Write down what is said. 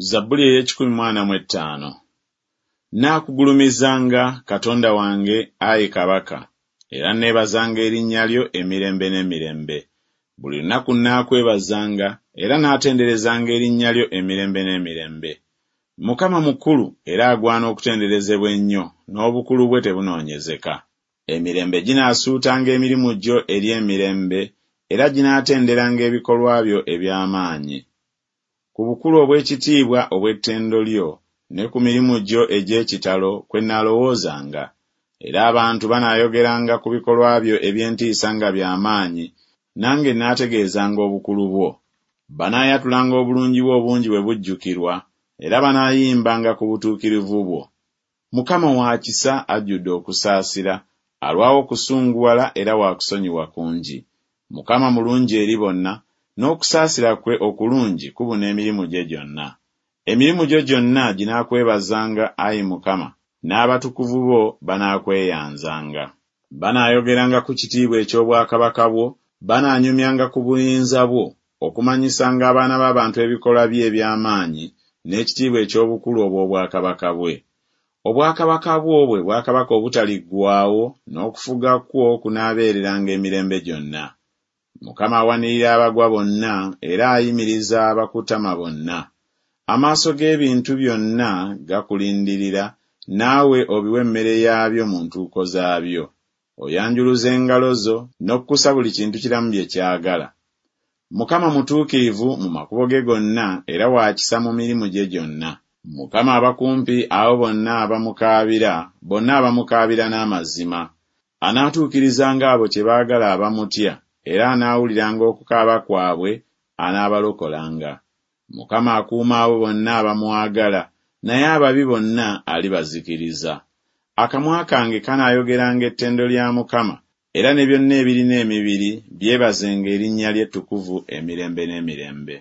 Zabbuli ey'ekikumi mu ana mu ettaano. Nnaakugulumizanga, Katonda wange, ayi Kabaka, era nneebazanga erinnya lyo emirembe n'emirembe. Buli lunaku nnaakwebazanga, era nnaatenderezanga erinnya lyo emirembe n'emirembe. Mukama mukulu era agwana okutenderezebwa ennyo, n'obukulu bwe tebunoonyezeka. Emirembe ginaasuutanga emirimu gyo eri emirembe, era ginaatenderanga ebikolwa byo eby'amaanyi. Ku bukulu obw'ekitiibwa obw'ettendo lyo, ne ku mirimu gyo egy'ekitalo kwe nnaalowoozanga. Era abantu banaayogeranga ku bikolwa byo eby'entiisa nga bya maanyi, nange nnaategeezanga obukulu bwo. Banaayatulanga obulungi bwo obungi bwe bujjukirwa, era banaayimbanga ku butuukirivu bwo. Mukama wa kisa ajjudde okusaasira, alwawo okusunguwala era wa kusonyiwa kungi. Mukama mulungi eri bonna, n'okusaasira kwe okulungi kubuna emirimu gye gyonna. Emirimu gyo gyonna ginaakwebazanga, ayi Mukama, n'abatukuvu bo banaakweyanzanga. Banaayogeranga ku kitiibwa eky'obwakabaka bwo, banaanyumyanga ku buyinza bwo, okumanyisanga abaana b'abantu ebikolwa bye eby'amaanyi, n'ekitiibwa eky'obukulu obw'obwakabaka bwe. Obwakabaka bwo bwe bwakabaka obutaliggwaawo, n'okufuga kwo kunaabeereranga emirembe gyonna. Mukama awanirira abagwa bonna, era ayimiriza abakutama bonna. Amaaso g'ebintu byonna gakulindirira, naawe obiwa emmere yaabyo mu ntuuko zaabyo. Oyanjuluza engalo zo, n'okkusa buli kintu kiramu bye kyagala. Mukama mutuukirivu mu makubo ge gonna, era wa kisa mu mirimu gye gyonna. Mukama aba kumpi abo bonna abamukaabira, bonna abamukaabira n'amazima. Anaatuukirizanga abo kye baagala abamutya, era anaawuliranga okukaaba kwabwe, anaabalokolanga. Mukama akuuma abo bonna abamwagala, naye ababi bonna alibazikiriza. Akamwa kange kanaayogeranga ettendo lya Mukama, era ne byonna ebirina emibiri byebazenga erinnya lye ettukuvu emirembe n'emirembe.